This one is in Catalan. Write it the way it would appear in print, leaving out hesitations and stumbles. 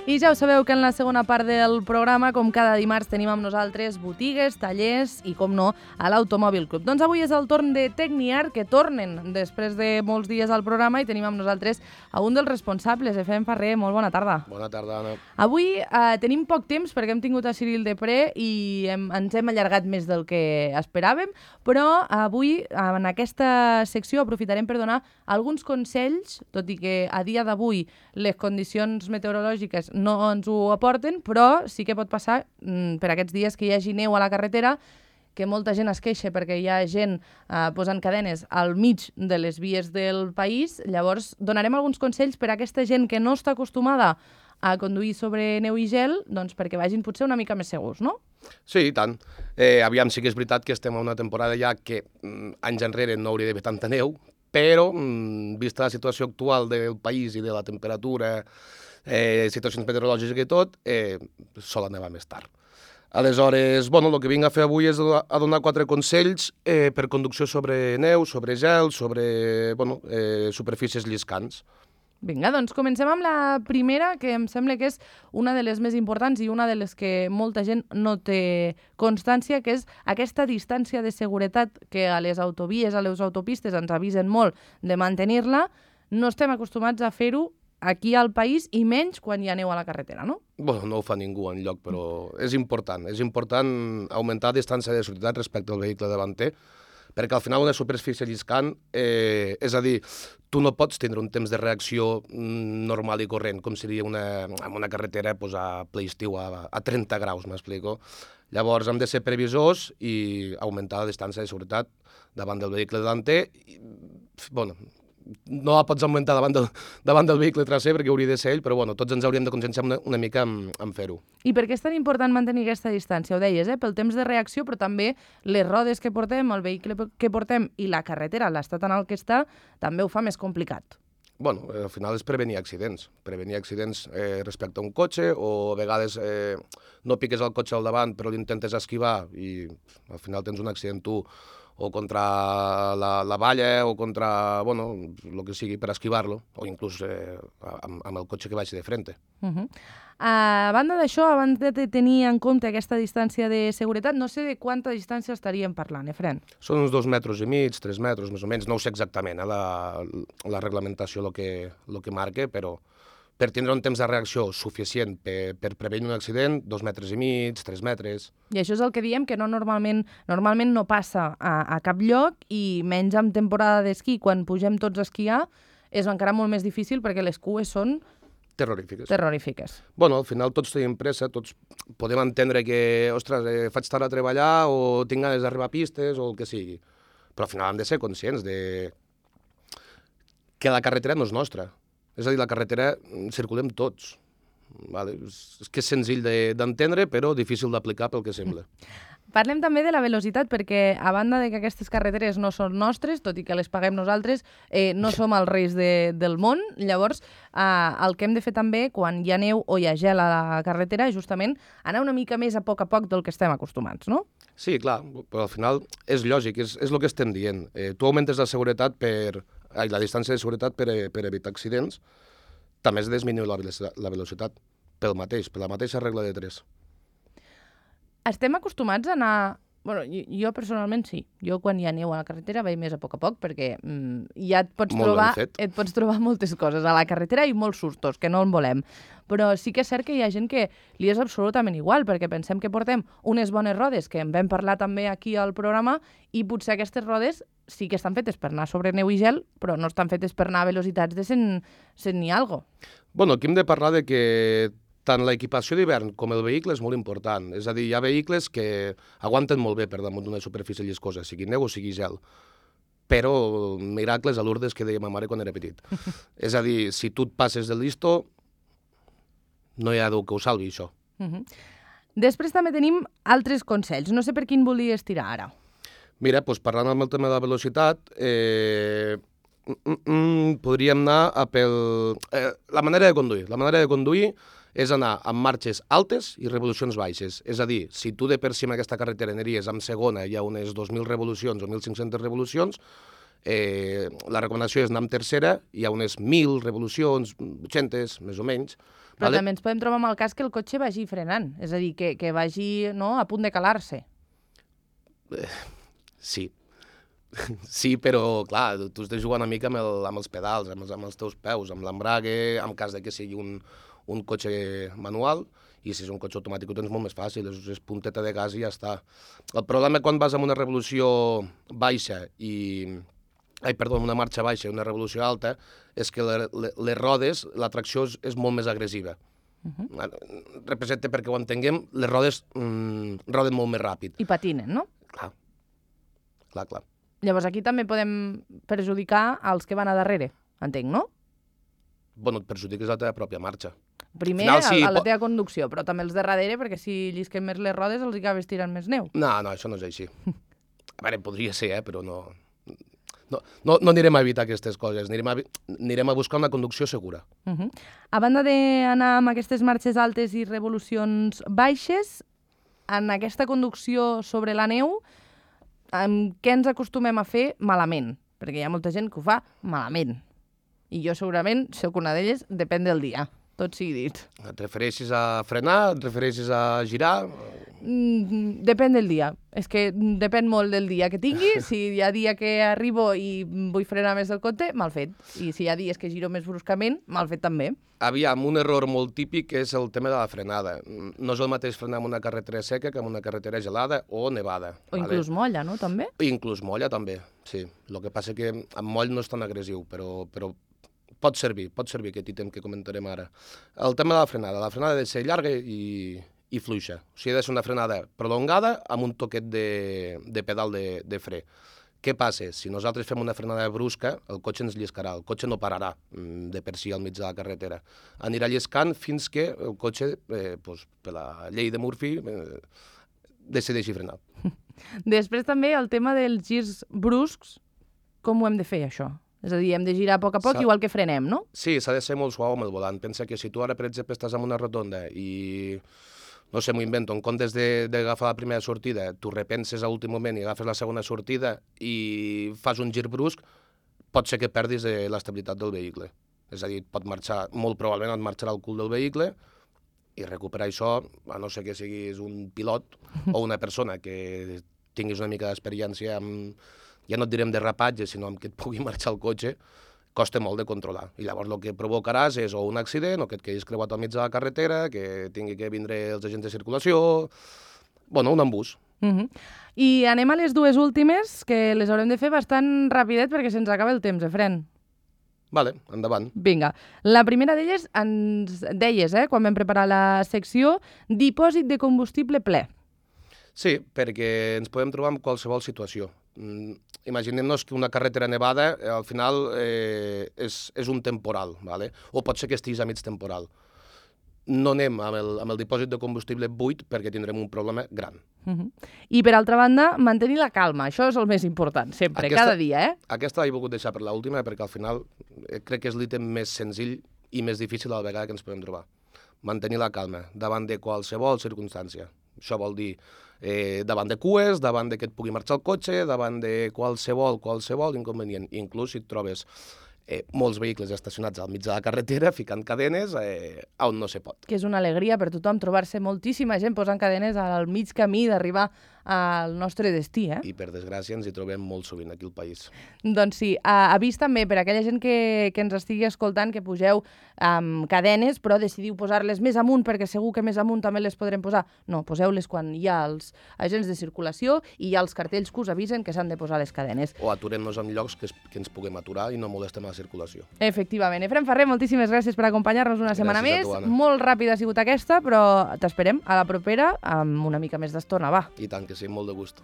I ja ho sabeu que en la segona part del programa, com cada dimarts, tenim amb nosaltres botigues, tallers i, com no, a l'Automòbil Club. Doncs avui és el torn de Tecniart, que tornen després de molts dies al programa, i tenim amb nosaltres a un dels responsables, Efrem Ferrer. Molt bona tarda. Bona tarda, Anna. Avui tenim poc temps perquè hem tingut a Cyril Depré i ens hem allargat més del que esperàvem, però avui, en aquesta secció, aprofitarem per donar alguns consells, tot i que a dia d'avui les condicions meteorològiques no ens ho aporten, però sí que pot passar per aquests dies que hi hagi neu a la carretera, que molta gent es queixa perquè hi ha gent posant cadenes al mig de les vies del país. Llavors, donarem alguns consells per a aquesta gent que no està acostumada a conduir sobre neu i gel, doncs perquè vagin potser una mica més segurs, no? Sí, i tant. Aviam, sí que és veritat que estem a una temporada ja que anys enrere no hauria d'haver tanta neu, però, vista la situació actual del país i de la temperatura, situacions meteorològiques i tot, sol nevar més tard. Aleshores, bueno, el que vinc a fer avui és a donar 4 consells per conducció sobre neu, sobre gel, sobre superfícies lliscants. Vinga, doncs comencem amb la primera, que em sembla que és una de les més importants i una de les que molta gent no té constància, que és aquesta distància de seguretat que a les autovies, a les autopistes ens avisen molt de mantenir-la. No estem acostumats a fer-ho aquí al país i menys quan hi ha neu a la carretera, no? Bueno, no ho fa ningú enlloc, però és important augmentar la distància de seguretat respecte al vehicle davanter, perquè al final una superfície lliscant, és a dir, tu no pots tindre un temps de reacció normal i corrent, com seria en una carretera a ple estiu a 30 graus, m'explico. Llavors hem de ser previsors i augmentar la distància de seguretat davant del vehicle davanter. Bueno, no la pots augmentar davant del vehicle traser perquè hauria de ser ell, però tots ens hauríem de conscienciar una mica en fer-ho. I per què és tan important mantenir aquesta distància? Ho deies, pel temps de reacció, però també les rodes que portem, el vehicle que portem i la carretera, l'estat en el que està, també ho fa més complicat. Bueno, al final és prevenir accidents respecte a un cotxe, o a vegades no piques el cotxe al davant però l'intentes esquivar i al final tens un accident tu, o contra la valla, o contra, el que sigui per esquivar-lo, o inclús amb el cotxe que vagi de frente. A banda d'això, abans de tenir en compte aquesta distància de seguretat, no sé de quanta distància estaríem parlant, Efrem? Són uns 2,5 metres, 3 metres, més o menys, no ho sé exactament, la reglamentació el que marca, però per tindre un temps de reacció suficient per prevenir un accident, 2,5 metres, 3 metres... I això és el que diem, que normalment no passa a cap lloc, i menys en temporada d'esquí, quan pugem tots a esquiar, és encara molt més difícil perquè les cues són... Terrorífiques. Bueno, al final tots tenim pressa, tots podem entendre que, ostres, faig tard a treballar o tinc ganes d'arribar a pistes o el que sigui. Però al final hem de ser conscients de que la carretera no és nostra. És a dir, la carretera circulem tots. Vale? És que és senzill d'entendre, però difícil d'aplicar pel que sembla. Parlem també de la velocitat, perquè a banda de que aquestes carreteres no són nostres, tot i que les paguem nosaltres, no som els reis del món. Llavors, el que hem de fer també, quan hi ha neu o hi ha gel a la carretera, és justament anar una mica més a poc del que estem acostumats, no? Sí, clar, però al final és lògic, és el que estem dient. Tu augmentes la seguretat la distància de seguretat per evitar accidents, també has de disminuir la velocitat per la mateixa regla de 3. Estem acostumats a anar... Bueno, jo personalment sí. Jo quan hi ha neu a la carretera vaig més a poc, perquè ja et pots trobar moltes coses a la carretera i molts sustos, que no en volem. Però sí que és cert que hi ha gent que li és absolutament igual, perquè pensem que portem unes bones rodes, que en vam parlar també aquí al programa, i potser aquestes rodes sí que estan fetes per anar sobre neu i gel, però no estan fetes per anar a velocitats de 100 ni algo. Bueno, aquí hem de parlar de que tant l'equipació d'hivern com el vehicle és molt important. És a dir, hi ha vehicles que aguanten molt bé per damunt d'una superfície lliscosa, sigui neu o sigui gel. Però miracles a Lourdes que deia ma mare quan era petit. És a dir, si tu et passes del listo, no hi ha Déu que ho salvi, això. Després també tenim altres consells. No sé per quin volies tirar ara. Mira, parlant amb el tema de la velocitat, podríem anar la manera de conduir. La manera de conduir és anar amb marxes altes i revolucions baixes. És a dir, si tu de per si en aquesta carretera aniries amb segona hi ha unes 2.000 revolucions o 1.500 revolucions, La recomanació és anar amb tercera, hi ha unes 1.000 revolucions, 800, més o menys. Però també ens podem trobar amb el cas que el cotxe vagi frenant, és a dir, que vagi a punt de calar-se. Sí. Sí, però, clar, tu estàs jugant una mica amb els pedals, amb els teus peus, amb l'embrague, en cas de que sigui un cotxe manual, i si és un cotxe automàtic ho tens molt més fàcil, és punteta de gas i ja està. El problema quan vas amb una revolució baixa una marxa baixa i una revolució alta, és que les rodes, la tracció és molt més agressiva. Representa, perquè ho entenguem, les rodes roden molt més ràpid. I patinen, no? Clar. Llavors aquí també podem perjudicar els que van a darrere, entenc, no? Bueno, et perjudiques la teva pròpia marxa. Primer a la teva conducció, però també els de darrere, perquè si llisquen més les rodes els acabes tirant més neu. No, això no és així. A veure, podria ser, però no anirem a evitar aquestes coses, anirem a buscar una conducció segura. A banda d'anar amb aquestes marxes altes i revolucions baixes, en aquesta conducció sobre la neu, què ens acostumem a fer malament? Perquè hi ha molta gent que ho fa malament. I jo segurament soc una d'elles, depèn del dia, tot sigui dit. Et refereixes a frenar? Et refereixes a girar? Depèn del dia. És que depèn molt del dia que tingui. Si hi ha dia que arribo i vull frenar més del compte, mal fet. I si hi ha dies que giro més bruscament, mal fet també. Aviam, un error molt típic és el tema de la frenada. No és el mateix frenar en una carretera seca que en una carretera gelada o nevada. O inclús molla, no? També? Inclús molla, també, sí. El que passa que amb moll no és tan agressiu, però pot servir aquest ítem que comentarem ara. El tema de la frenada ha de ser llarga i fluixa. O sigui, ha de ser una frenada prolongada amb un toquet de pedal de fre. Què passa? Si nosaltres fem una frenada brusca, el cotxe ens lliscarà, el cotxe no pararà de per si al mig de la carretera. Anirà lliscant fins que el cotxe, per la llei de Murphy, decideixi frenar. Després també el tema dels girs bruscs, com ho hem de fer, això? És a dir, hem de girar a poc a poc, igual que frenem, no? Sí, s'ha de ser molt suau amb el volant. Pensa que si tu ara, per exemple, estàs en una rotonda i, no sé, m'ho invento, en comptes d'agafar la primera sortida, tu repenses a l'últim moment i agafes la segona sortida i fas un gir brusc, pot ser que perdis l'estabilitat del vehicle. És a dir, molt probablement et marxarà el cul del vehicle i recuperar això, a no ser que siguis un pilot o una persona que tinguis una mica d'experiència amb, ja no et direm derrapatge, sinó amb que et pugui marxar el cotxe, costa molt de controlar. I llavors el que provocaràs és o un accident, o que et quedis creuat al mig de la carretera, que tingui que vindre els agents de circulació, un embús. I anem a les dues últimes, que les haurem de fer bastant rapidet perquè se'ns acaba el temps, Fren? Vale, endavant. Vinga. La primera d'elles ens deies, quan vam preparar la secció, dipòsit de combustible ple. Sí, perquè ens podem trobar en qualsevol situació. Imaginem-nos que una carretera nevada al final és un temporal, ¿vale? O pot ser que estiguis a mig temporal. No anem amb el dipòsit de combustible buit perquè tindrem un problema gran. I per altra banda, mantenir la calma. Això és el més important, sempre, cada dia, Aquesta l'he volgut deixar per l'última perquè al final crec que és l'ítem més senzill i més difícil a la vegada que ens podem trobar. Mantenir la calma davant de qualsevol circumstància. Això vol dir davant de cues, davant de que et pugui marxar el cotxe, davant de qualsevol inconvenient. Inclús si et trobes molts vehicles estacionats al mig de la carretera ficant cadenes on no se pot. Que és una alegria per tothom trobar-se moltíssima gent posant cadenes al mig camí d'arribar al nostre destí, I per desgràcia ens hi trobem molt sovint aquí al país. Doncs sí, avís també per aquella gent que ens estigui escoltant que pugeu amb cadenes, però decidiu posar-les més amunt perquè segur que més amunt també les podrem posar. No, poseu-les quan hi ha els agents de circulació i hi ha els cartells que us avisen que s'han de posar les cadenes. O aturem-nos en llocs que ens puguem aturar i no molestem la circulació. Efectivament. Efrem Ferrer, moltíssimes gràcies per acompanyar-nos una setmana més. Molt ràpida ha sigut aquesta, però t'esperem a la propera amb una mica més d'estona, va. I tant que sí, molt de gust.